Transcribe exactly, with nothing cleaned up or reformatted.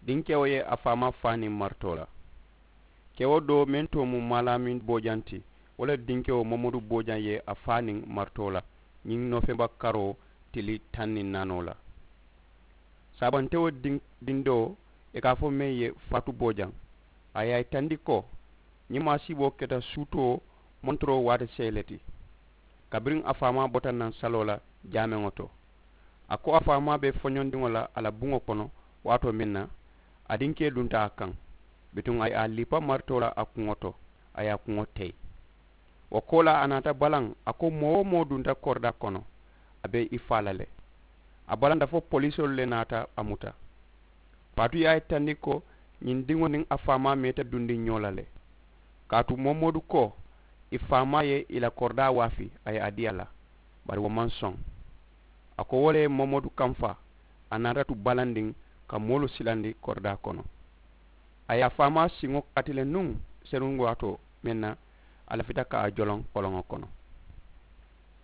Dinkewo ye a faamaa faa niŋ maritoo la. Kewo doo meŋ too mu maalaamin boojaŋ ti, wo le dinkewo momodu boojaŋ ye a faa niŋ maritoo la ñiŋ noofemba karoo tili taŋ niŋ naanoo la. Saabantewo dindoo, i ka a fo meŋ ye faatu boojaŋ, a ye a yitandi ko ñiŋ maasiiboo keta suutoo montoroo waati seyi le ti. Kabiriŋ a faamaa bota naŋ saloo la jaameŋo to, a ko a faamaa be foñondiŋo la a la buŋo kono waatoo meŋ na, a dinkee dunta a kaŋ. Bituŋ a ye a lipa maritoo la a kuŋo to, a ye a kuŋo teyi. Wo koolaa a naata balaŋ, a ko moo-wo-moo dunta koridaa kono, a be i faa la le. A balanta fo polisoolu le naata a muta. Faatu ye a yitandi ko ñiŋ diŋo niŋ a faamaa meeta dundi ñoo la le. Kaatu momodu ko i faamaa ye i la koridaa waafi, a ye a dii a la, bari wo maŋ soŋ. A ko wo le ye momodu kamfa, a naata tu balandiŋ ka moolu silandi koridaa kono. A ye a faamaa siŋo kati le nuŋ senuŋ waatoo meŋ na, a lafita ka a joloŋ koloŋo kono.